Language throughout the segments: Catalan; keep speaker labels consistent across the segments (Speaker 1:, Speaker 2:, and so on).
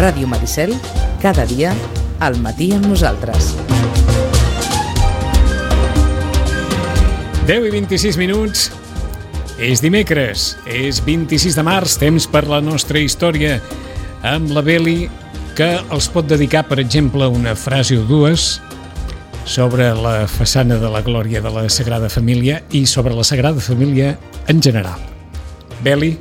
Speaker 1: Ràdio Maricel, cada dia, al matí amb nosaltres.
Speaker 2: 10 i 26 minuts. És dimecres, és 26 de març, temps per la nostra història amb la Beli, que els pot dedicar, per exemple, una frase o dues sobre la façana de la Glòria de la Sagrada Família i sobre la Sagrada Família en general. Beli?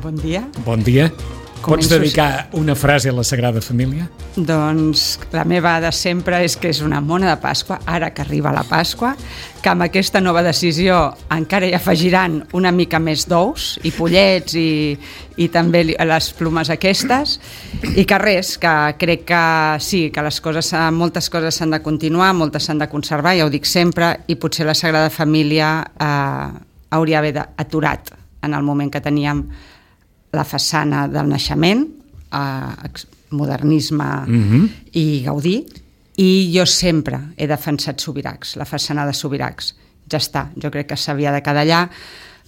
Speaker 3: Bon dia.
Speaker 2: Bon dia. Pots dedicar una frase a la Sagrada Família?
Speaker 3: Doncs la meva de sempre és que és una mona de Pasqua, ara que arriba la Pasqua, que amb aquesta nova decisió encara hi afegiran una mica més d'ous i pollets i també les plomes aquestes, i que res, que crec que sí, que moltes coses s'han de continuar, moltes s'han de conservar, ja ho dic sempre, i potser la Sagrada Família hauria d'haver aturat en el moment que teníem la façana del naixement, modernisme i Gaudí, i jo sempre he defensat Subirachs, la façana de Subirachs. Ja està, jo crec que s'havia de quedar allà,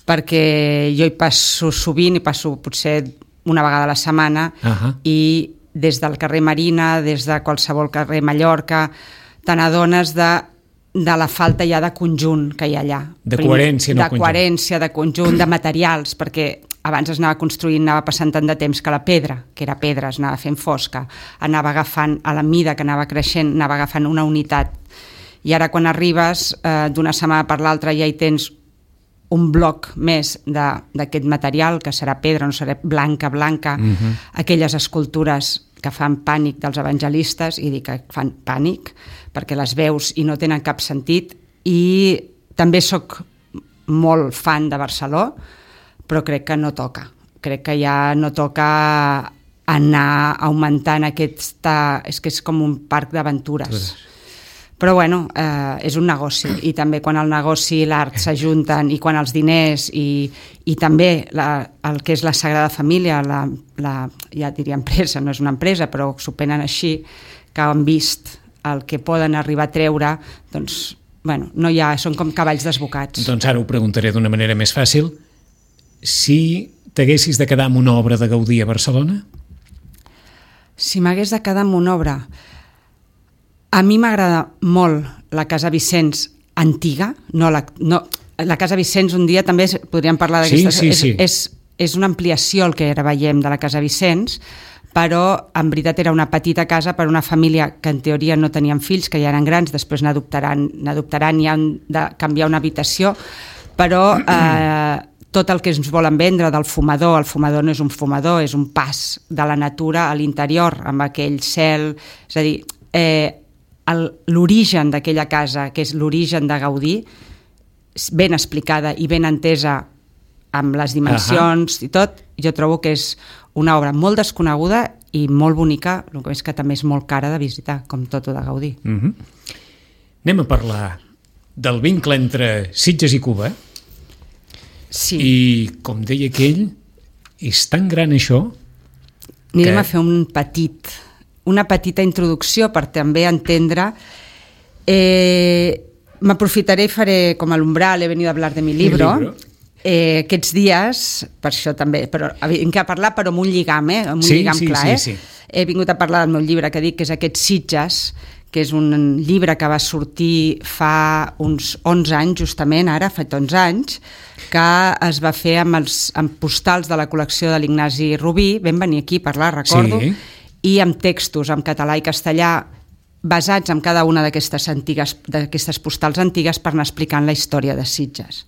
Speaker 3: perquè jo hi passo sovint, hi passo potser una vegada a la setmana, i des del carrer Marina, des de qualsevol carrer Mallorca, te n'adones de la falta ja de conjunt que hi ha allà.
Speaker 2: De coherència, no conjunt.
Speaker 3: De coherència, de conjunt, de materials, perquè abans es anava construint, anava passant tant de temps que la pedra, que era pedra, es anava fent fosca, anava agafant, a la mida que anava creixent, anava agafant una unitat. I ara quan arribes, d'una setmana per l'altra ja hi tens un bloc més d'aquest material, que serà pedra, no serà blanca, aquelles escultures que fan pànic dels evangelistes, i dic que fan pànic, perquè les veus i no tenen cap sentit, i també sóc molt fan de Barceló, però crec que no toca. Crec que ja no toca anar augmentant aquesta... És que és com un parc d'aventures. Però bueno, és un negoci, i també quan el negoci i l'art s'ajunten, i quan els diners i també el que és la Sagrada Família, ja diria empresa, no és una empresa, però s'ho prenen així, que han vist el que poden arribar a treure, doncs, bueno, no hi ha, són com cavalls desbocats.
Speaker 2: Doncs ara ho preguntaré d'una manera més fàcil. Si t'haguessis de quedar amb una obra de Gaudí a Barcelona?
Speaker 3: Si m'hagués de quedar amb una obra... A mi m'agrada molt la Casa Vicenç antiga, la Casa Vicenç un dia també podríem parlar d'aquesta...
Speaker 2: Sí.
Speaker 3: És una ampliació el que ara veiem de la Casa Vicenç, però en veritat era una petita casa per una família que en teoria no tenien fills, que ja eren grans, després n'adoptaran i han de canviar una habitació, però tot el que ens volen vendre del fumador, el fumador no és un fumador, és un pas de la natura a l'interior, amb aquell cel, és a dir, l'origen d'aquella casa, que és l'origen de Gaudí, ben explicada i ben entesa amb les dimensions i tot, jo trobo que és una obra molt desconeguda i molt bonica, el que és que també és molt cara de visitar, com tot de Gaudí.
Speaker 2: Anem a parlar del vincle entre Sitges i Cuba.
Speaker 3: Sí.
Speaker 2: I, com deia aquell, és tan gran això...
Speaker 3: Anirem a fer una petita introducció per també entendre. M'aprofitaré i faré com a l'umbral, he venido a hablar de mi libro. Aquests dies, per això també, però vinc a parlar però amb un lligam, amb un lligam clar.
Speaker 2: Sí.
Speaker 3: He vingut a parlar del meu llibre, que dic que és Aquests Sitges, que és un llibre que va sortir fa uns 11 anys, justament, ara, fa 11 anys, que es va fer amb postals de la col·lecció de l'Ignasi Rubí, vam venir aquí a parlar, recordo, i amb textos en català i castellà basats en cada una d'aquestes postals antigues per anar explicant la història de Sitges.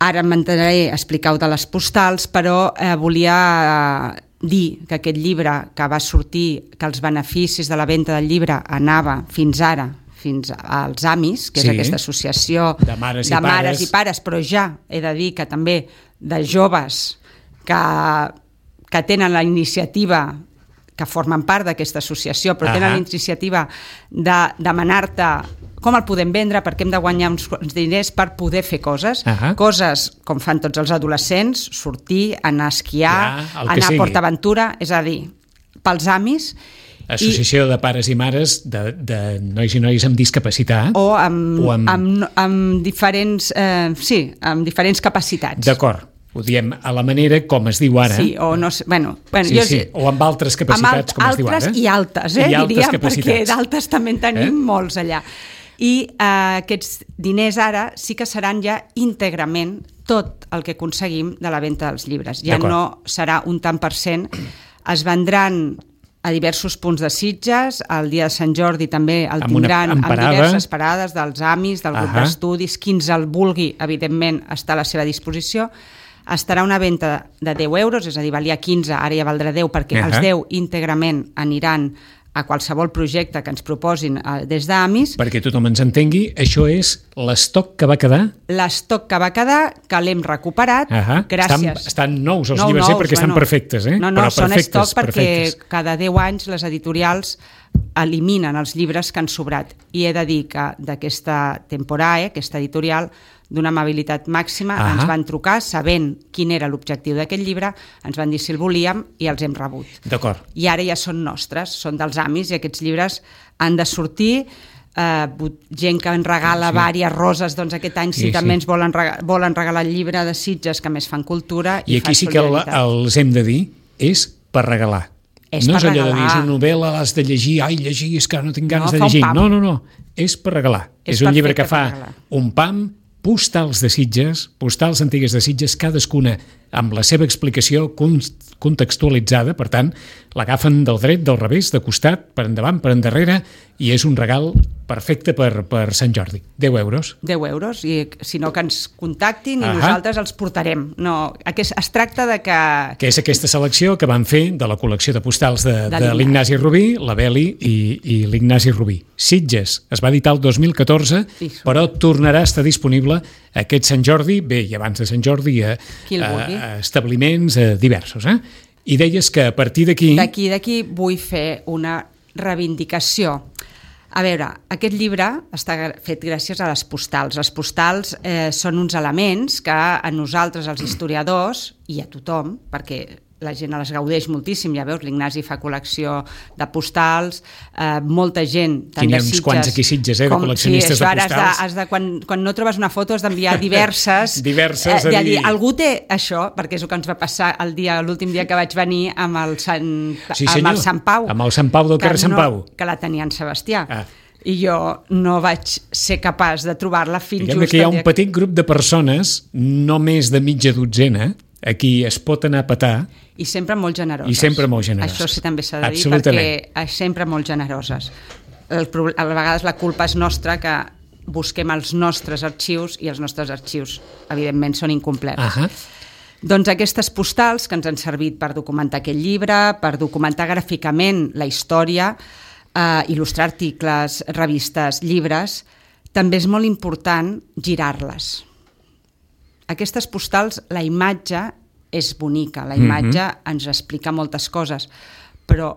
Speaker 3: Ara em mantindré a explicar-ho de les postals, però volia dir que aquest llibre que va sortir, que els beneficis de la venda del llibre anava fins als AMIs, que és aquesta associació
Speaker 2: de mares i
Speaker 3: pares, però ja he de dir que també de joves que tenen la iniciativa, que formen part d'aquesta associació, però tenen la iniciativa de demanar-te com el podem vendre, perquè hem de guanyar uns diners per poder fer coses. Coses com fan tots els adolescents, sortir, anar a esquiar, anar a PortAventura, és a dir, pels AMIs.
Speaker 2: Associació de pares i mares de nois i noies amb discapacitat.
Speaker 3: O amb diferents capacitats.
Speaker 2: D'acord. Ho diem a la manera com es diu ara.
Speaker 3: Sí, o no sé,
Speaker 2: o amb altres capacitats, com es diu ara.
Speaker 3: Altres i altes, diríem, perquè d'altes també en tenim molts allà. I aquests diners ara sí que seran ja íntegrament tot el que aconseguim de la venda dels llibres. Ja no serà un tant per cent, es vendran a diversos punts de Sitges, el dia de Sant Jordi també el tindran amb diverses parades dels AMIs, del grup d'estudis, qui ens el vulgui, evidentment, està a la seva disposició. Estarà una venda de 10 euros, és a dir, valia 15, ara ja valdrà 10, perquè els 10 íntegrament aniran a qualsevol projecte que ens proposin des d'AMIS.
Speaker 2: Perquè tothom ens entengui, això és l'estoc que va quedar?
Speaker 3: L'estoc que va quedar, que l'hem recuperat, gràcies.
Speaker 2: Estan nous els llibres, perquè estan perfectes,
Speaker 3: No, són estoc perquè cada 10 anys les editorials eliminen els llibres que han sobrat. I he de dir que d'aquesta temporada, aquesta editorial, d'una amabilitat màxima, ens van trucar sabent quin era l'objectiu d'aquest llibre, ens van dir si el volíem i els hem rebut.
Speaker 2: D'acord.
Speaker 3: I ara ja són nostres, són dels AMIs, i aquests llibres han de sortir. Gent que en regala vàries roses, doncs aquest any també ens volen regalar el llibre de Sitges, que més fan cultura.
Speaker 2: I aquí sí que els hem de dir, és per regalar. No és allò de dir, és una novel·la, l'has de llegir, llegir, és que no tinc ganes de llegir. No, és per regalar. És un llibre que fa un pam, postals de Sitges, postals antigues de Sitges, cadascuna amb la seva explicació contextualitzada, per tant, l'agafen del dret, del revés, de costat, per endavant, per endarrere, i és un regal perfecte per Sant Jordi. 10 euros.
Speaker 3: 10 euros, i si no que ens contactin i nosaltres els portarem. No, es tracta de que...
Speaker 2: Que és aquesta selecció que van fer de la col·lecció de postals de l'Ignasi Rubí, la Beli i l'Ignasi Rubí. Sitges es va editar el 2014, però tornarà a estar disponible aquest Sant Jordi, bé, i abans de Sant Jordi, establiments diversos. I deies que a partir d'aquí...
Speaker 3: D'aquí vull fer una reivindicació. A veure, aquest llibre està fet gràcies a les postals. Les postals són uns elements que a nosaltres, els historiadors, i a tothom, perquè la gent les gaudeix moltíssim, ja veus, l'Ignasi fa col·lecció de postals, molta gent, tant de Sitges...
Speaker 2: N'hi ha uns quants aquí Sitges, de col·leccionistes de postals.
Speaker 3: Quan no trobes una foto has d'enviar diverses. De dir, algú té això, perquè és el que ens va passar l'últim dia que vaig venir amb el Sant Pau.
Speaker 2: Amb el Sant Pau del carrer Sant Pau.
Speaker 3: Que la tenia en Sebastià. I jo no vaig ser capaç de trobar-la fins just...
Speaker 2: Diguem que hi ha un petit grup de persones, no més de mitja dotzena, a qui es pot anar a petar.
Speaker 3: I sempre molt generoses. Això sí també s'ha de dir, perquè sempre molt generoses. A vegades la culpa és nostra, que busquem els nostres arxius i els nostres arxius, evidentment, són incomplets. Doncs aquestes postals que ens han servit per documentar aquest llibre, per documentar gràficament la història, il·lustrar articles, revistes, llibres, també és molt important girar-les. Aquestes postals, la imatge és bonica, la imatge ens explica moltes coses, però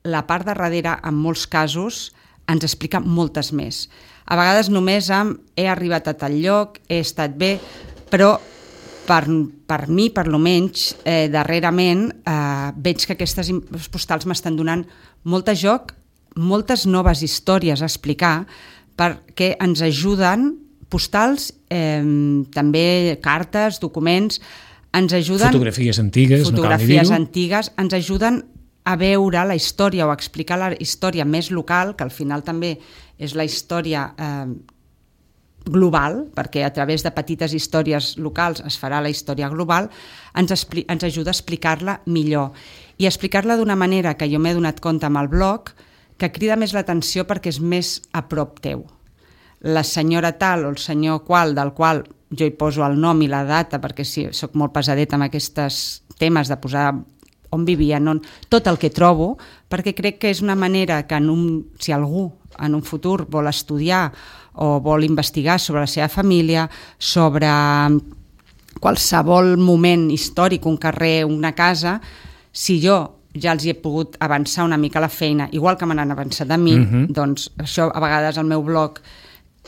Speaker 3: la part de darrere, en molts casos, ens explica moltes més. A vegades només he arribat a tal lloc, he estat bé, però per mi, per lo menys, darrerament, veig que aquestes postals m'estan donant molt de joc, moltes noves històries a explicar, perquè ens ajuden, postals, també cartes, documents, ens ajuden...
Speaker 2: Fotografies antigues, no cal ni dir-ho.
Speaker 3: Fotografies antigues, ens ajuden a veure la història o a explicar la història més local, que al final també és la història global, perquè a través de petites històries locals es farà la història global, ens ajuda a explicar-la millor. I explicar-la d'una manera que jo m'he donat compte amb el blog, que crida més l'atenció perquè és més a prop teu. La senyora tal o el senyor qual, del qual jo hi poso el nom i la data, perquè sí, soc molt pesadeta amb aquests temes de posar on vivien, tot el que trobo, perquè crec que és una manera que si algú en un futur vol estudiar o vol investigar sobre la seva família, sobre qualsevol moment històric, un carrer, una casa, si jo ja els hi he pogut avançar una mica la feina, igual que me n'han avançat a mi, doncs això a vegades al meu blog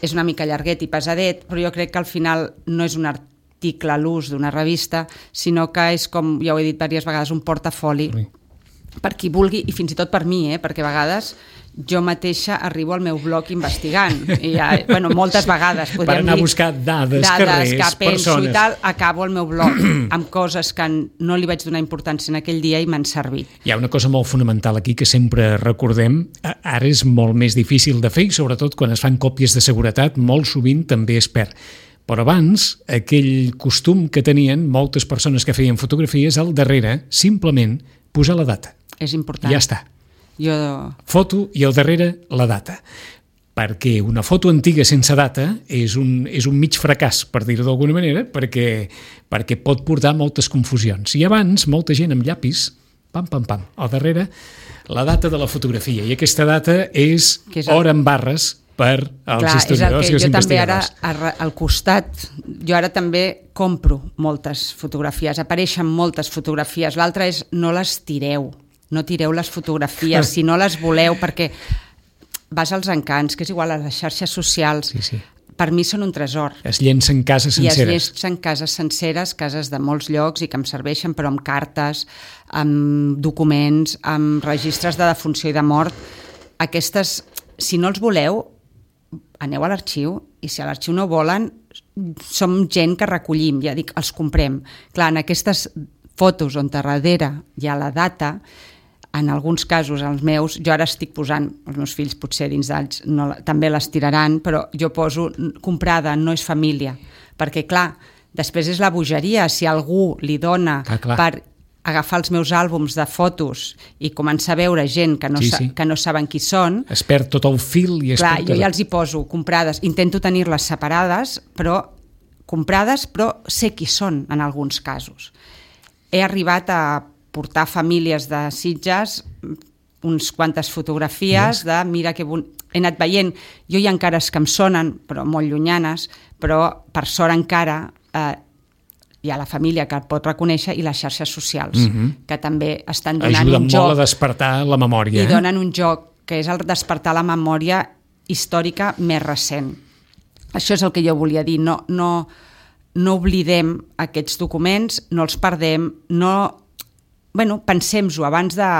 Speaker 3: és una mica llarguet i pesadet, però jo crec que al final no és un article a l'ús d'una revista, sinó que és, com ja ho he dit diverses vegades, un portafoli per qui vulgui, i fins i tot per mi, perquè a vegades jo mateixa arribo al meu blog investigant. I moltes vegades.
Speaker 2: Per anar a buscar dades, carrers,
Speaker 3: que penso
Speaker 2: persones.
Speaker 3: I tal, acabo el meu blog amb coses que no li vaig donar importància en aquell dia i m'han servit.
Speaker 2: Hi ha una cosa molt fonamental aquí que sempre recordem. Ara és molt més difícil de fer i sobretot quan es fan còpies de seguretat molt sovint també es perd. Però abans, aquell costum que tenien moltes persones que feien fotografies, al darrere, simplement, posar la data.
Speaker 3: És important.
Speaker 2: Ja està. Foto i al darrere la data. Perquè una foto antiga sense data és un mig fracàs, per dir-ho d'alguna manera, perquè pot portar moltes confusions. I abans, molta gent amb llapis, pam, pam, pam, al darrere, la data de la fotografia. I aquesta data és hora en barres per als historiadors i els investigadors.
Speaker 3: Jo també ara, al costat, jo ara també compro moltes fotografies, apareixen moltes fotografies. L'altre és no les tireu, no tireu les fotografies, si no les voleu, perquè vas als encants, que és igual a les xarxes socials, per mi són un tresor.
Speaker 2: Es llencen cases senceres.
Speaker 3: I es llencen cases senceres, cases de molts llocs i que em serveixen, però amb cartes, amb documents, amb registres de defunció i de mort. Aquestes, si no els voleu, aneu a l'arxiu i si a l'arxiu no volen, som gent que recollim, ja dic, els comprem. Clar, en aquestes fotos on darrere hi ha la data, en alguns casos, els meus, jo ara estic posant, els meus fills potser dins d'alls també les tiraran, però jo poso comprada, no és família, perquè clar, després és la bogeria, si algú li dona per agafar els meus àlbums de fotos i començar a veure gent que no saben qui són...
Speaker 2: Es perd tot el fil i es
Speaker 3: perd... Clar, jo ja els hi poso comprades, intento tenir-les separades, però sé qui són en alguns casos. He arribat a portar famílies de Sitges uns quantes fotografies de mira que he anat veient, jo hi ha encara que em sonen, però molt llunyanes, però per sort encara hi ha la família que el pot reconèixer i les xarxes socials, que també estan donant un joc.
Speaker 2: Ajuden molt a despertar la memòria.
Speaker 3: I donen un joc, que és el despertar la memòria històrica més recent. Això és el que jo volia dir, no oblidem aquests documents, no els perdem, pensem-ho abans de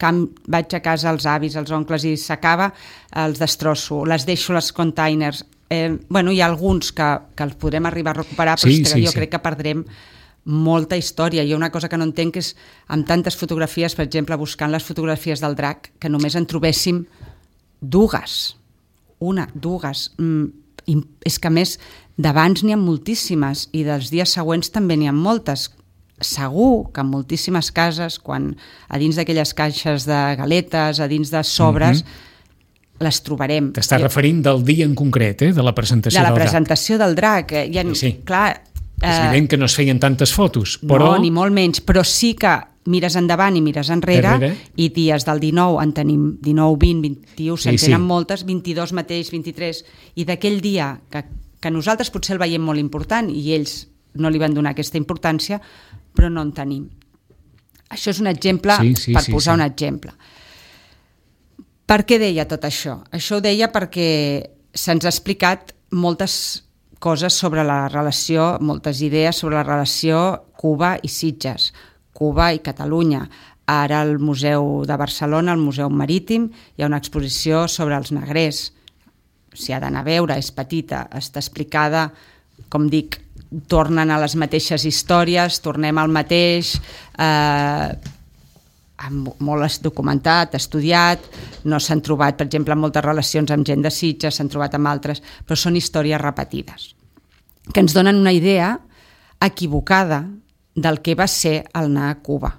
Speaker 3: que vaig a casa als avis, als oncles i s'acaba, els destrosso, les deixo als containers. Hi ha alguns que els podrem arribar a recuperar, però jo crec que perdrem molta història. Hi ha una cosa que no entenc, que és amb tantes fotografies, per exemple, buscant les fotografies del drac, que només en trobéssim dues. És que a més d'abans n'hi ha moltíssimes i dels dies següents també n'hi ha moltes. Segur que en moltíssimes cases, quan a dins d'aquelles caixes de galetes, a dins de sobres, les trobarem.
Speaker 2: T'estàs referint del dia en concret, de la presentació del drac.
Speaker 3: De la presentació del drac. Clar,
Speaker 2: és evident que no es feien tantes fotos, però...
Speaker 3: No, ni molt menys, però sí que mires endavant i mires enrere i dies del 19 en tenim 19, 20, 21, se'n tenen moltes, 22 mateix, 23, i d'aquell dia que nosaltres potser el veiem molt important i ells no li van donar aquesta importància, però no en tenim. Això és un exemple, per posar un exemple. Per què deia tot això? Això ho deia perquè se'ns ha explicat moltes coses sobre la relació, moltes idees sobre la relació Cuba i Sitges, Cuba i Catalunya. Ara al Museu de Barcelona, al Museu Marítim, hi ha una exposició sobre els negrers. S'hi ha d'anar a veure, és petita, està explicada, com dic, tornen a les mateixes històries, tornem al mateix, molt documentat, estudiat, no s'han trobat, per exemple, moltes relacions amb gent de Sitges, s'han trobat amb altres, però són històries repetides, que ens donen una idea equivocada del que va ser el anar a Cuba.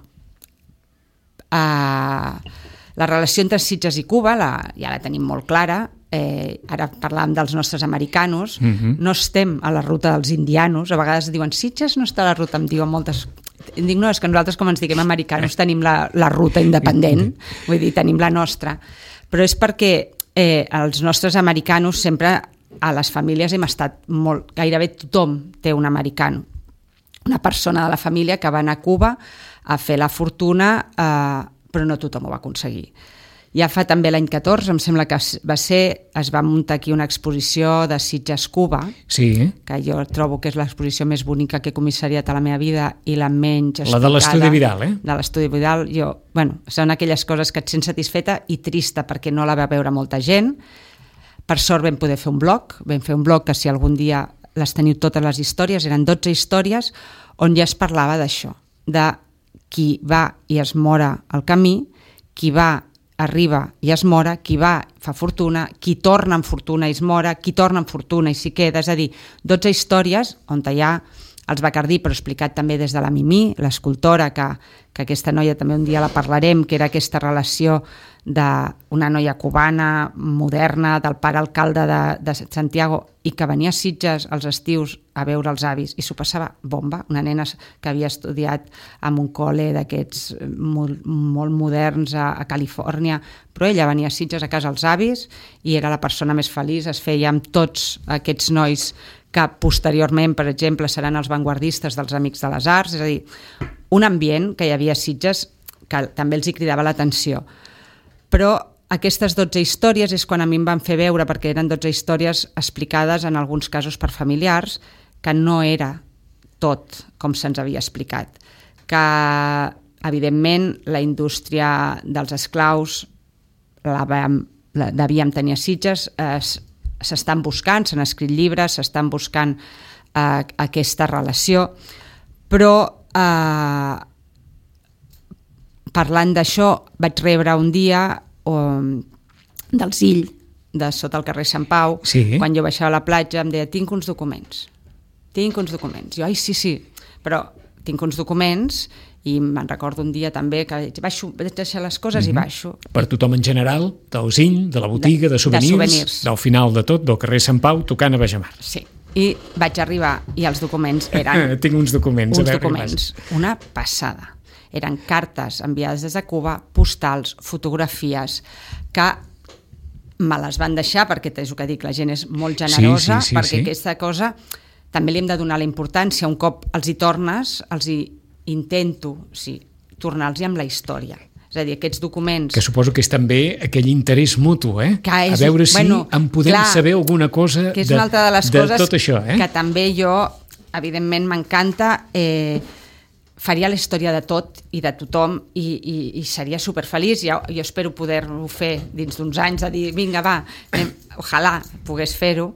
Speaker 3: La relació entre Sitges i Cuba ja la tenim molt clara. Ara parlàvem dels nostres americanos, no estem a la ruta dels indianos, a vegades diuen Sitges no està a la ruta, em diuen moltes, dic no, és que nosaltres com ens diguem americanos tenim la ruta independent, vull dir, tenim la nostra, però és perquè els nostres americanos sempre a les famílies hem estat molt, gairebé tothom té un americano, una persona de la família que va anar a Cuba a fer la fortuna, però no tothom ho va aconseguir. Ja fa també l'any 14, em sembla que va ser, es va muntar aquí una exposició de Sitges Cuba,
Speaker 2: Sí.
Speaker 3: que jo trobo que és l'exposició més bonica que he comissariat a la meva vida i la menys
Speaker 2: La de l'Estudi Vidal,
Speaker 3: De l'Estudi Vidal. Són aquelles coses que et sents satisfeta i trista perquè no la va veure molta gent. Per sort vam poder fer un blog, que si algun dia les teniu totes les històries, eren 12 històries on ja es parlava d'això, de qui va i es mora al camí, qui va, arriba i es mora, qui va fa fortuna, qui torna amb fortuna i es mora, qui torna amb fortuna i s'hi queda, és a dir, 12 històries on hi ha els Bacardí, però explicat també des de la Mimí, l'escultora, que aquesta noia també un dia la parlarem, que era aquesta relació d'una noia cubana, moderna, del pare alcalde de Santiago, i que venia a Sitges als estius a veure els avis, i s'ho passava bomba, una nena que havia estudiat en un col·le d'aquests molt moderns a Califòrnia, però ella venia a Sitges a casa als avis i era la persona més feliç, es feia amb tots aquests nois que posteriorment, per exemple, seran els vanguardistes dels Amics de les Arts, és a dir, un ambient que hi havia a Sitges que també els hi cridava l'atenció. Però aquestes 12 històries és quan a mi em van fer veure, perquè eren 12 històries explicades en alguns casos per familiars, que no era tot com se'ns havia explicat. Que, evidentment, la indústria dels esclaus la devíem tenir a Sitges, s'estan buscant, s'han escrit llibres, s'estan buscant aquesta relació, però parlant d'això vaig rebre un dia del Zill, de sota el carrer Sant Pau, quan jo baixava a la platja, em deia, tinc uns documents. Jo, ai, sí, però tinc uns documents i me'n recordo un dia també que vaig deixar les coses i baixo.
Speaker 2: Per tothom en general, del Zill, de la botiga, de souvenirs, del final de tot, del carrer Sant Pau, tocant a Bajamar.
Speaker 3: Sí, i vaig arribar i els documents eren...
Speaker 2: Tinc uns documents.
Speaker 3: Una passada. Eren cartes enviades des de Cuba, postals, fotografies, que me les van deixar, perquè és el que dic, la gent és molt generosa, perquè aquesta cosa també li hem de donar la importància. Un cop els hi tornes, els hi intento tornar-los amb la història. És a dir, aquests documents...
Speaker 2: Que suposo que és també aquell interès mutu, a veure si en podem saber alguna cosa
Speaker 3: que és una altra de les coses
Speaker 2: tot això.
Speaker 3: Que també jo, evidentment, m'encanta... faria la història de tot i de tothom i seria superfeliç. Jo espero poder-ho fer dins d'uns anys, de dir, vinga, va, ojalà pogués fer-ho,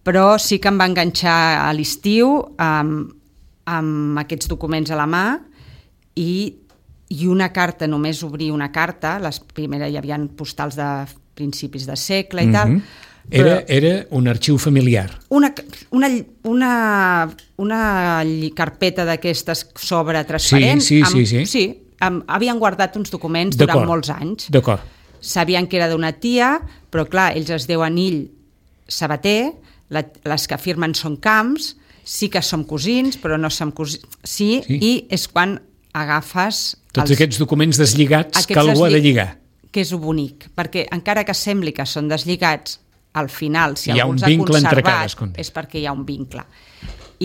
Speaker 3: però sí que em va enganxar a l'estiu amb aquests documents a la mà i una carta, només obrir una carta, les primeres hi havia postals de principis de segle i tal.
Speaker 2: Era un arxiu familiar.
Speaker 3: Una carpeta d'aquestes sobre transparent. Sí. Havien guardat uns documents durant molts anys.
Speaker 2: D'acord.
Speaker 3: Sabien que era d'una tia, però clar, ells es deuen Ill Sabater, les que firmen són Camps, sí que som cosins, però no som cosins. Sí, i és quan agafes...
Speaker 2: Tots aquests documents deslligats que algú ha de lligar.
Speaker 3: Que és bonic, perquè encara que sembli que són deslligats, al final, si
Speaker 2: algú s'ha conservat,
Speaker 3: és perquè hi ha un vincle.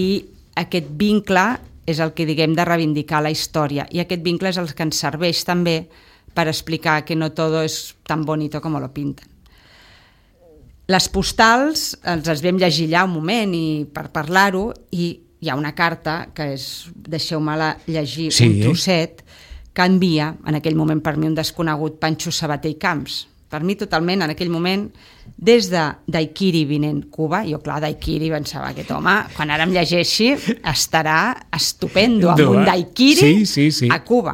Speaker 3: I aquest vincle és el que diguem de reivindicar la història, i aquest vincle és el que ens serveix també per explicar que no todo es tan bonito como lo pintan. Les postals ens les vam llegir allà un moment i per parlar-ho, i hi ha una carta que és, deixeu-me-la llegir un trosset, que envia en aquell moment per mi un desconegut Pancho Sabater i Camps. Per mi totalment, en aquell moment, des de Daiquiri vinent Cuba, jo clar, Daiquiri pensava aquest home, quan ara em llegeixi, estarà estupendo, amb un Daiquiri a Cuba.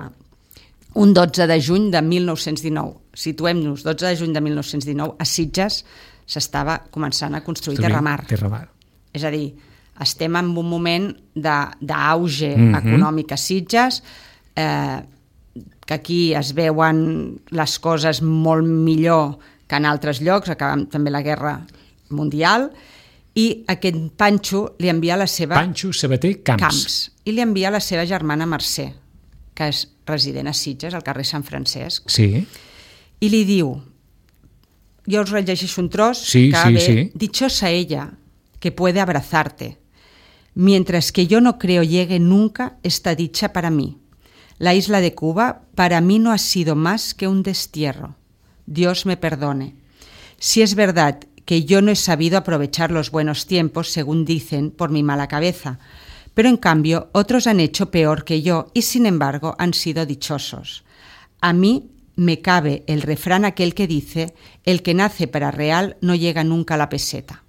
Speaker 3: Un 12 de juny de 1919, situem-nos, 12 de juny de 1919, a Sitges s'estava començant a construir Terramar. És a dir, estem en un moment d'auge econòmic a Sitges, que aquí es veuen les coses molt millor que en altres llocs, acabant també la Guerra Mundial, i aquest Pancho li envia la seva...
Speaker 2: Pancho Sabater Camps.
Speaker 3: I li envia la seva germana Mercè, que és resident a Sitges, al carrer Sant Francesc.
Speaker 2: Sí.
Speaker 3: I li diu, jo us rellegeixo un tros, dichosa ella, que puede abrazarte, mientras que yo no creo llegue nunca esta dicha para mí. La isla de Cuba para mí no ha sido más que un destierro. Dios me perdone. Si es verdad que yo no he sabido aprovechar los buenos tiempos, según dicen, por mi mala cabeza, pero en cambio otros han hecho peor que yo y sin embargo han sido dichosos. A mí me cabe el refrán aquel que dice: el que nace para real no llega nunca a la peseta.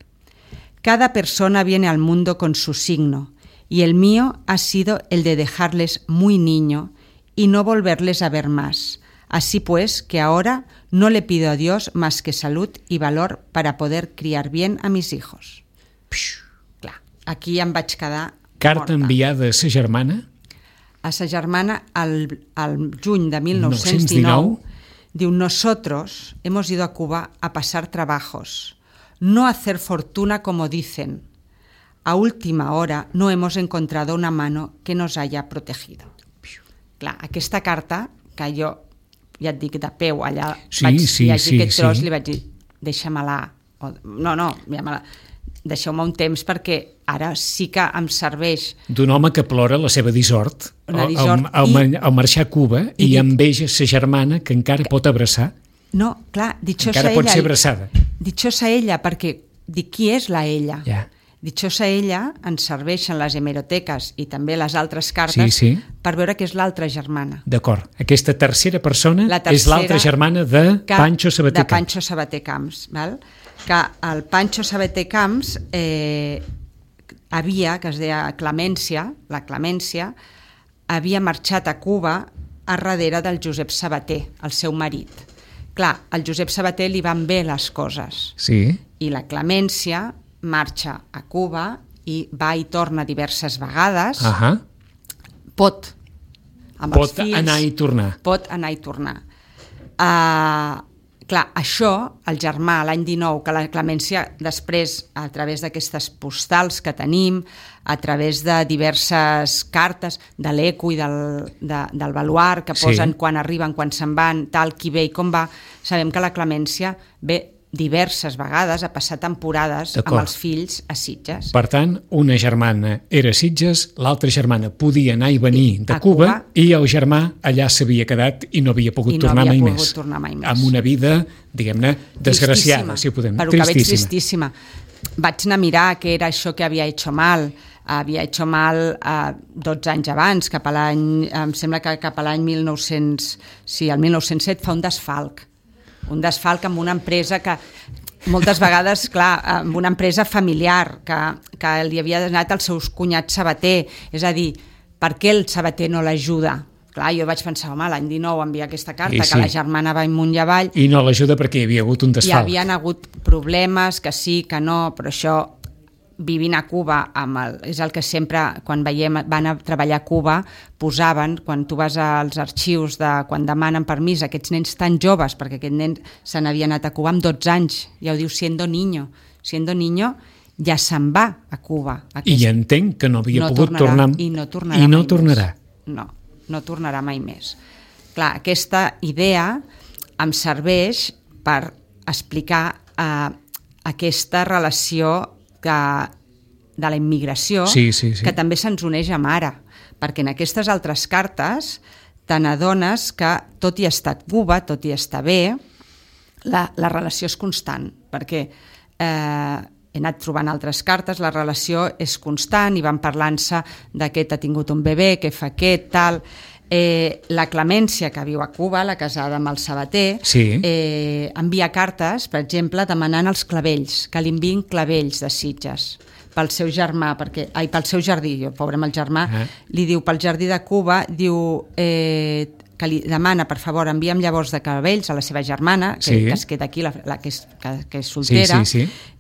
Speaker 3: Cada persona viene al mundo con su signo, y el mío ha sido el de dejarles muy niño y no volverles a ver más. Así pues, que ahora no le pido a Dios más que salud y valor para poder criar bien a mis hijos. Clar, aquí em vaig quedar
Speaker 2: Carta
Speaker 3: morta.
Speaker 2: enviada a sa germana?
Speaker 3: A sa germana al juny de 1919 diu: nosotros hemos ido a Cuba a pasar trabajos, no a hacer fortuna como dicen. A última hora no hemos encontrado una mano que nos haya protegido. Clar, aquesta carta, que jo ja et dic de peu allà, vaig llegir aquest tros, li vaig dir, deixa-me-la, deixeu-me un temps perquè ara sí que em serveix.
Speaker 2: D'un home que plora la seva dissort al marxar a Cuba i enveja sa germana que encara pot abraçar.
Speaker 3: No, clar, dichosa
Speaker 2: encara
Speaker 3: ella.
Speaker 2: pot ser abraçada.
Speaker 3: Dichosa ella, perquè dic, qui és la ella?
Speaker 2: Ja.
Speaker 3: Dichosa ella ens serveixen les hemeroteques i també les altres cartes per veure que és l'altra germana.
Speaker 2: D'acord. Aquesta tercera persona és l'altra germana de Pancho Sabater Camps.
Speaker 3: De Pancho Sabater Camps. Val? Que el Pancho Sabater Camps havia, que es deia Clemència, la Clemència, havia marxat a Cuba a darrere del Josep Sabater, el seu marit. Clar, al Josep Sabater li van bé les coses.
Speaker 2: Sí.
Speaker 3: I la Clemència marxa a Cuba i va i torna diverses vegades. Pot, amb els fills,
Speaker 2: anar i tornar.
Speaker 3: Pot anar i tornar. Clar, això, el germà, l'any 19, que la Clemència després, a través d'aquestes postals que tenim, a través de diverses cartes de l'Eco i del Baluard, que posen quan arriben, quan se'n van, tal, qui ve i com va, sabem que la Clemència ve diverses vegades a passar temporades amb els fills a Sitges.
Speaker 2: Per tant, una germana era a Sitges, l'altra germana podia anar i venir de Cuba i el germà allà s'havia quedat i no havia pogut tornar mai més. Amb una vida, diguem-ne, desgraciada, si ho podem dir.
Speaker 3: Però que veig tristíssima. Vaig anar a mirar què era això que havia hecho mal. Havia hecho mal 12 anys abans, cap a l'any, em sembla que cap a l'any 1900, sí, el 1907 fa un desfalc amb una empresa que moltes vegades, clar, amb una empresa familiar que li havia donat als seus cunyats Sabater, és a dir, per què el Sabater no l'ajuda? Clar, jo vaig pensar, home, l'any 19 envia aquesta carta, que la germana va amunt i avall.
Speaker 2: I no l'ajuda perquè hi havia hagut un desfalc.
Speaker 3: Hi havien hagut problemes, que sí, que no, però això, vivint a Cuba, és el que sempre, quan van a treballar a Cuba, posaven, quan tu vas als arxius, quan demanen permís a aquests nens tan joves, perquè aquest nen se n'havia anat a Cuba amb 12 anys, ja ho diu, siendo niño ja se'n va a Cuba.
Speaker 2: I entenc que no havia pogut tornar.
Speaker 3: I no tornarà. No tornarà mai més. Clar, aquesta idea em serveix per explicar aquesta relació de la immigració, que també se'ns uneix amb ara, perquè en aquestes altres cartes te n'adones que tot i estar a Cuba, tot i estar bé, la relació és constant, perquè he anat trobant altres cartes, la relació és constant i van parlant-se d'aquest ha tingut un bebè, què fa aquest, tal. La Clemència, que viu a Cuba, la casada amb el Sabater, envia cartes, per exemple, demanant els clavells, que li enviïn clavells de Sitges pel seu germà, pel seu jardí, pobre amb el germà, li diu pel jardí de Cuba, diu que li demana, per favor, envia'm llavors de clavells a la seva germana, que es queda aquí, que és soltera,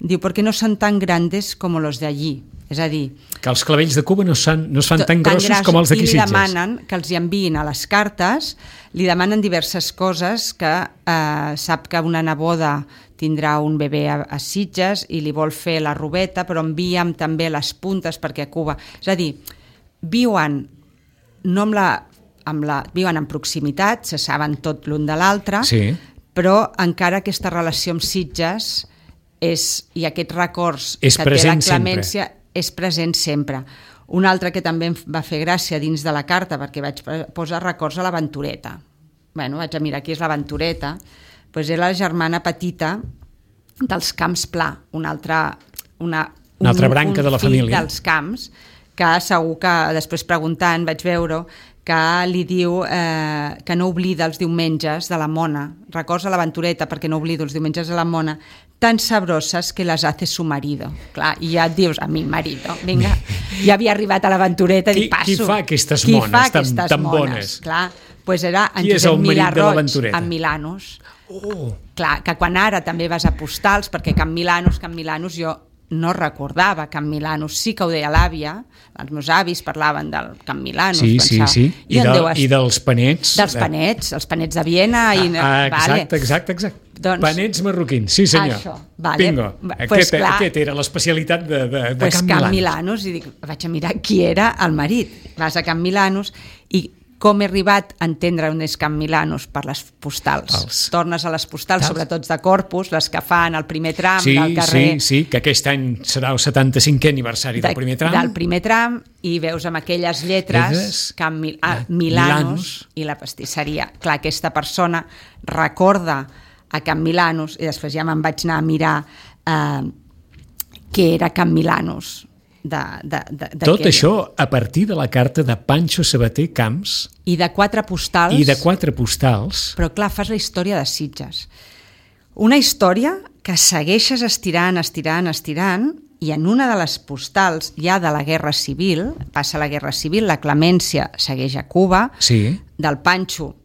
Speaker 3: diu, perquè no són tan grandes com los de allí. És a dir,
Speaker 2: que els clavells de Cuba no es fan tan grossos com els d'aquí Sitges.
Speaker 3: I li demanen que els hi enviïn a les cartes, li demanen diverses coses, que sap que una neboda tindrà un bebè a Sitges i li vol fer la robeta, però envia'm també les puntes perquè a Cuba... És a dir, viuen viuen en proximitat, se saben tot l'un de l'altre, però encara aquesta relació amb Sitges i aquests records que té la Clemència és present sempre. Un altre que també em va fer gràcia dins de la carta, perquè vaig posar records a l'Aventureta. Vaig a mirar qui és l'Aventureta, Doncs era la germana petita dels Camps Pla, una altra
Speaker 2: branca de la família.
Speaker 3: dels Camps, que segur que després preguntant vaig veure que li diu que no oblida els diumenges de la mona. Records a l'aventureta perquè no oblido els diumenges de la mona, tan sabroses que les hace su marido. Clar, i ja et dius, a mi marido, vinga, ja havia arribat a l'aventureta i passo.
Speaker 2: Qui fa aquestes mones tan bones?
Speaker 3: Clar, doncs era en
Speaker 2: Qui és el
Speaker 3: Josep
Speaker 2: marit
Speaker 3: Milà
Speaker 2: de
Speaker 3: Roig,
Speaker 2: l'aventureta?
Speaker 3: en Milanos.
Speaker 2: Oh.
Speaker 3: Clar, que quan ara també vas a postals, perquè Can Milanos jo no recordava Can Milanos, sí que ho deia l'àvia, els meus avis parlaven del Can Milanos.
Speaker 2: Sí. I dels panets.
Speaker 3: Dels panets, els panets de Viena.
Speaker 2: Exacte. Doncs, panets marroquins, sí senyor.
Speaker 3: Això, vale.
Speaker 2: Bingo. Aquest era l'especialitat de Can Milanos.
Speaker 3: Can Milanos, i dic, vaig a mirar qui era el marit. Vas a Can Milanos i com he arribat a entendre on és Can Milanos per les postals. Tornes a les postals, sobretot de Corpus, les que fan el primer tram del carrer.
Speaker 2: Sí, que aquest any serà el 75è aniversari del primer tram.
Speaker 3: Del primer tram, i veus amb aquelles lletres Can Milanos i la pastisseria. Clar, aquesta persona recorda a Can Milanos, i després ja me'n vaig anar a mirar què era Can Milanos.
Speaker 2: Tot això a partir de la carta de Pancho Sabater Camps
Speaker 3: i de 4 postals. Però clar, fas la història de Sitges, una història que segueixes estirant i en una de les postals ja de la Guerra Civil, passa la Guerra Civil, la Clemència segueix a Cuba, del Pancho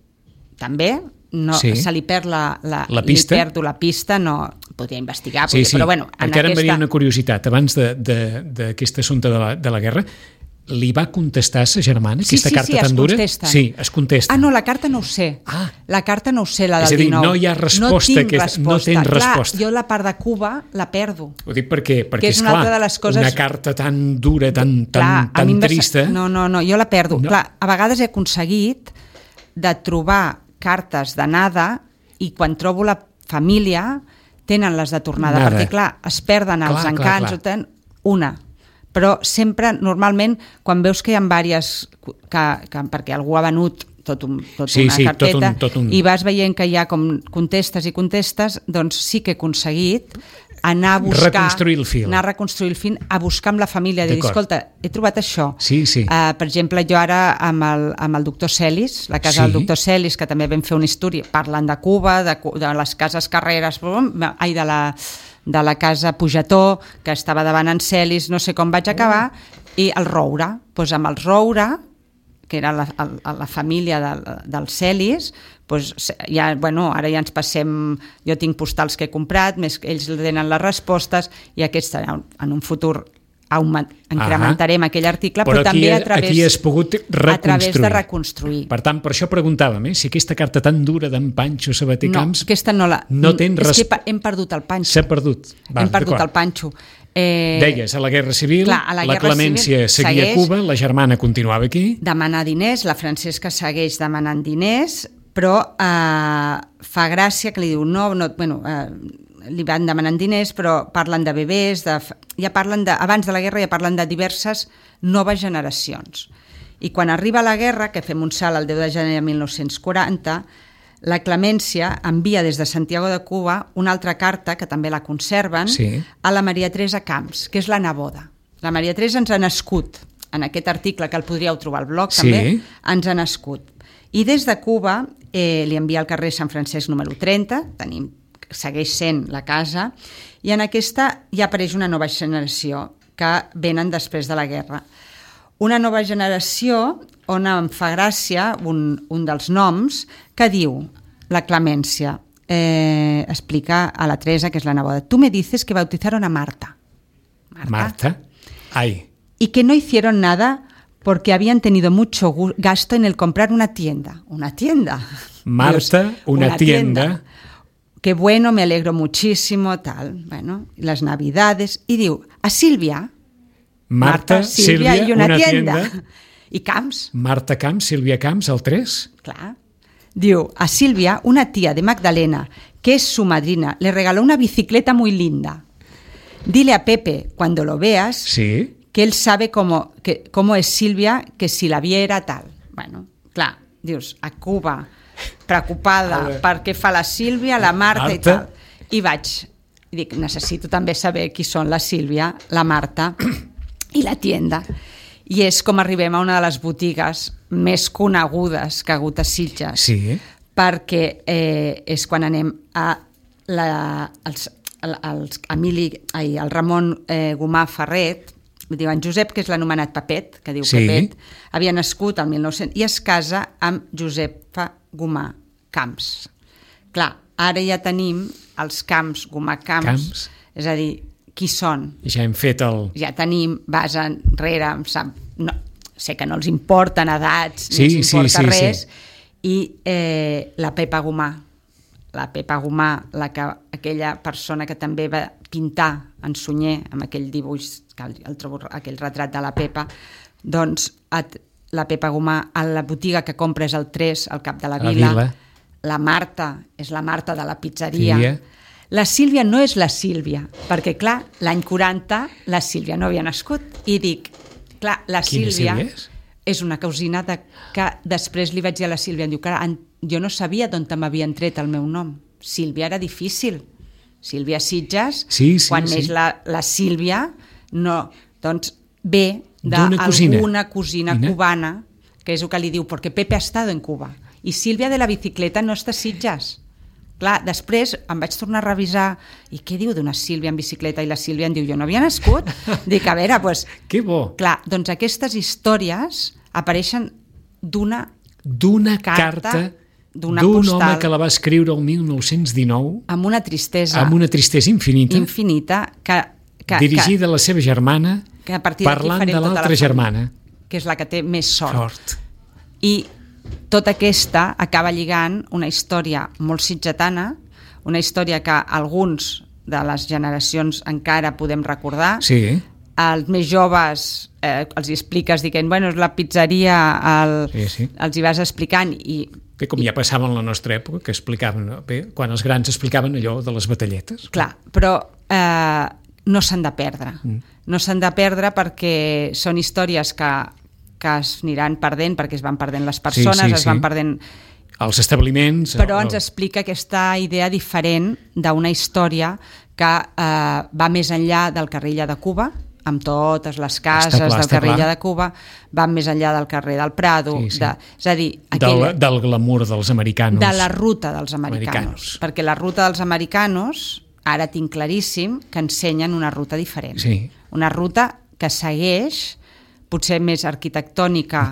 Speaker 3: també, se li perd la pista. Li perdo la pista, no podria investigar, però bueno,
Speaker 2: perquè ara em venia una curiositat abans d'aquest assumpte de la guerra. Li va contestar a sa germana aquesta carta tan dura? Sí, es contesta.
Speaker 3: Ah, no, la carta no ho sé. La carta no ho sé, la del 19.
Speaker 2: És a dir, no hi ha resposta. No tens resposta.
Speaker 3: Clar, jo la part de Cuba la perdo.
Speaker 2: Ho dic perquè és clar, una carta tan dura, tan trista.
Speaker 3: No, jo la perdo. Clar, a vegades he aconseguit de trobar cartes d'anada i quan trobo la família tenen les de tornada, perquè clar, es perden els encants, una, però sempre, normalment, quan veus que hi ha diverses, perquè algú ha venut una carpeta i vas veient que hi ha com contestes, doncs sí que he aconseguit anar a buscar, reconstruir el fil, a buscar amb la família, dir, escolta, he trobat això. Per exemple, jo ara amb el doctor Celis, la casa del doctor Celis, que també vam fer una història, parlant de Cuba, de les cases Carreras, de la casa Pugetó, que estava davant en Celis, no sé com vaig acabar, i el Roure, doncs amb el Roure, que era la família del Celis, doncs ja, ara ja ens passem, jo tinc postals que he comprat, més ells tenen les respostes, i aquests en un futur incrementarem aquell article, però també a través de reconstruir.
Speaker 2: Per tant, per això preguntàvem, si aquesta carta tan dura d'en Pancho Sabater Camps...
Speaker 3: No, aquesta no la... És que hem perdut el Pancho.
Speaker 2: S'ha perdut.
Speaker 3: Hem perdut el Pancho.
Speaker 2: Deies, a la Guerra Civil, la Clemència seguia a Cuba, la germana continuava aquí.
Speaker 3: Demanar diners, la Francesca segueix demanant diners, però fa gràcia que li diu li van demanant diners, però parlen de bebès, abans de la guerra ja parlen de diverses noves generacions. I quan arriba la guerra, que fem un salt el 10 de gener de 1940, la Clemència envia des de Santiago de Cuba una altra carta, que també la conserven, a la Maria Teresa Camps, que és la neboda. La Maria Teresa ens ha nascut, en aquest article que el podríeu trobar al blog també, ens ha nascut. I des de Cuba li envia al carrer Sant Francesc número 30, segueix sent la casa, i en aquesta ja apareix una nova generació que venen després de la guerra. Una nova generació on em fa gràcia un dels noms que diu, la Clemència, explica a la Teresa, que és la neboda, tú me dices que bautizaron a Marta.
Speaker 2: Marta. Ay.
Speaker 3: Y que no hicieron nada porque habían tenido mucho gasto en el comprar una tienda. Una tienda.
Speaker 2: Marta, Dios, una tienda.
Speaker 3: Qué bueno, me alegro muchísimo, tal. Bueno, las Navidades. Y diu, a Sílvia.
Speaker 2: Marta, Sílvia
Speaker 3: i una tienda. I Camps.
Speaker 2: Marta Camps, Sílvia Camps, el 3.
Speaker 3: Clar. Diu, a Sílvia, una tía de Magdalena, que es su madrina, le regaló una bicicleta muy linda. Dile a Pepe, cuando lo veas, que él sabe cómo es Sílvia, que si la viera tal. Bueno, clar, dius, a Cuba preocupada per què fa la Sílvia, la Marta i tal. I dic, necessito també saber qui són la Sílvia, la Marta i la tienda. I és com arribem a una de les botigues més conegudes que ha hagut a Sitges.
Speaker 2: Sí.
Speaker 3: Perquè és quan anem a el Ramon Gomà Ferret, diu en Josep, que és l'anomenat Pepet, que diu Pepet, havia nascut al 1900 i es casa amb Josefa Gomà Camps. Clar, ara ja tenim els Camps, Gomà Camps, és a dir, qui són?
Speaker 2: Ja hem fet el...
Speaker 3: Ja tenim, vas enrere, sé que no els importen edats, no els importa res, i la Pepa Gomà, aquella persona que també va pintar en Sunyer, amb aquell dibuix, aquell retrat de la Pepa, doncs la Pepa Gomà, a la botiga que compra és el 3, al cap de la Vila. La Marta és la Marta de la pizzeria. La Sílvia no és la Sílvia, perquè, clar, l'any 40 la Sílvia no havia nascut. I dic, clar, la Sílvia és una cosina que després li vaig dir a la Sílvia, em diu, clar, jo no sabia d'on m'havien tret el meu nom. Sílvia era difícil. Sílvia Sitges, quan neix la Sílvia, no, doncs ve d'alguna cosina cubana, que és el que li diu, perquè Pepe ha estado en Cuba. I Sílvia de la bicicleta no està a Sitges. Clar, després em vaig tornar a revisar i què diu d'una Sílvia en bicicleta? I la Sílvia em diu, jo no havia nascut. Dic, a veure, doncs...
Speaker 2: Que bo!
Speaker 3: Clar, doncs aquestes històries apareixen d'una carta d'un
Speaker 2: home que la va escriure el 1919
Speaker 3: amb una tristesa
Speaker 2: infinita dirigida a la seva germana parlant de l'altra germana,
Speaker 3: que és la que té més sort. I tota aquesta acaba lligant una història molt sitgetana, una història que alguns de les generacions encara podem recordar.
Speaker 2: Sí.
Speaker 3: Els més joves els hi expliques dient, bueno, és la pizzeria, els hi vas explicant i...
Speaker 2: Com ja passava en la nostra època, que explicaven, quan els grans explicaven allò de les batalletes.
Speaker 3: Clar, però no s'han de perdre. No s'han de perdre perquè són històries que es aniran perdent, perquè es van perdent les persones, es van perdent...
Speaker 2: Els establiments...
Speaker 3: Però ens explica aquesta idea diferent d'una història que va més enllà del carrer Illa de Cuba, amb totes les cases del carrer Illa de Cuba, va més enllà del carrer del Prado, és a dir...
Speaker 2: Del glamour dels americanos.
Speaker 3: De la ruta dels americanos. Perquè la ruta dels americanos, ara tinc claríssim, que ensenyen una ruta diferent. Una ruta que segueix potser més arquitectònica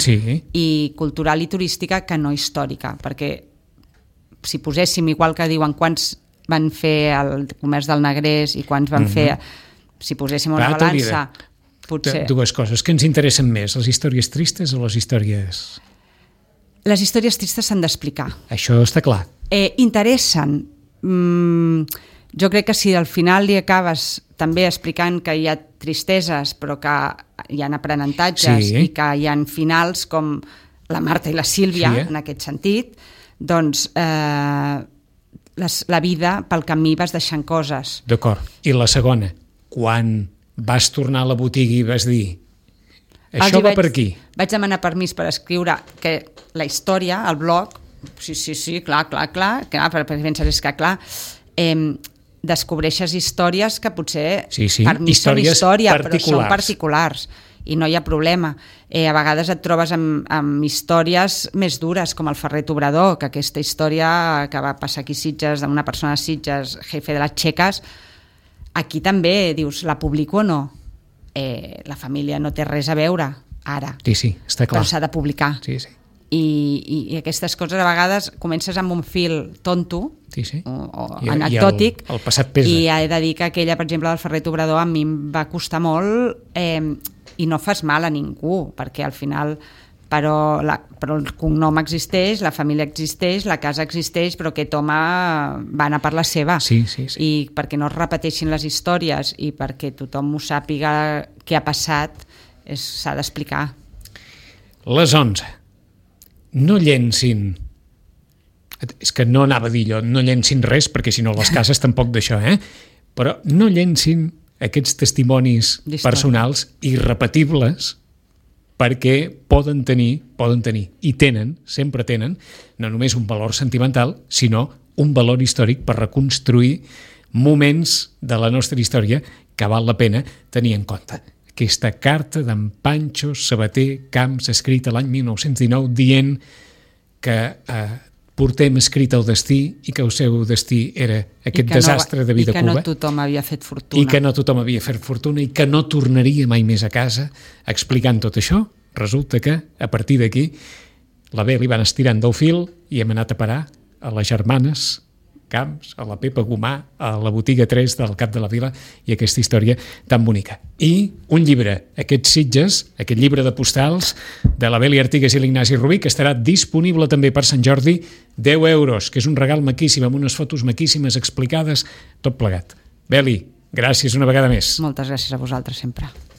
Speaker 3: i cultural i turística que no històrica, perquè si poséssim, igual que diuen quants van fer el comerç del Negrés i quants van fer, si poséssim una balança, potser...
Speaker 2: Dues coses, que ens interessen més, les històries tristes o les històries...
Speaker 3: Les històries tristes s'han d'explicar.
Speaker 2: Això està clar.
Speaker 3: Interessen. Jo crec que si al final li acabes també explicant que hi ha tristeses però que hi ha aprenentatges i que hi ha finals com la Marta i la Sílvia, en aquest sentit, doncs la vida pel camí vas deixant coses.
Speaker 2: D'acord. I la segona, quan vas tornar a la botiga i vas dir això va per aquí?
Speaker 3: Vaig demanar permís per escriure que la història, el blog, sí, clar, perquè penses que clar... descobreixes històries que potser per mi són història, però són particulars i no hi ha problema. A vegades et trobes amb històries més dures, com el Ferret Obrador, que aquesta història que va passar aquí a Sitges, d'una persona a Sitges, jefe de les txeques, aquí també dius, la publico o no? La família no té res a veure ara,
Speaker 2: està clar.
Speaker 3: Però s'ha de publicar. I aquestes coses a vegades comences amb un fil tonto o anecdòtic
Speaker 2: i el passat pesa.
Speaker 3: I he de dir que aquella, per exemple, del Ferret Obrador a mi em va costar molt i no fas mal a ningú perquè al final però el cognom existeix, la família existeix, la casa existeix, però aquest home va anar per la seva i perquè no es repeteixin les històries i perquè tothom ho sàpiga què ha passat s'ha d'explicar.
Speaker 2: Les 11. No llencin, és que no anava a dir allò, no llencin res, perquè si no les cases tampoc d'això, però no llencin aquests testimonis personals irrepetibles perquè poden tenir, i tenen, sempre tenen, no només un valor sentimental, sinó un valor històric per reconstruir moments de la nostra història que val la pena tenir en compte. Aquesta carta d'en Pancho Sabater Camps, escrita l'any 1919, dient que portem escrit el destí i que el seu destí era aquest desastre de vida a Cuba.
Speaker 3: I que no tothom havia fet fortuna.
Speaker 2: I que no tothom havia fet fortuna i que no tornaria mai més a casa. Explicant tot això, resulta que, a partir d'aquí, la Beli van estirant del fil i hem anat a parar a les germanes Camps, a la Pepa Gomà, a la botiga 3 del Cap de la Vila i aquesta història tan bonica. I un llibre, aquests Sitges, aquest llibre de postals de la Beli Artigas i l'Ignasi Rubí, que estarà disponible també per Sant Jordi, 10 euros, que és un regal maquíssim, amb unes fotos maquíssimes explicades, tot plegat. Beli, gràcies una vegada més.
Speaker 3: Moltes gràcies a vosaltres sempre.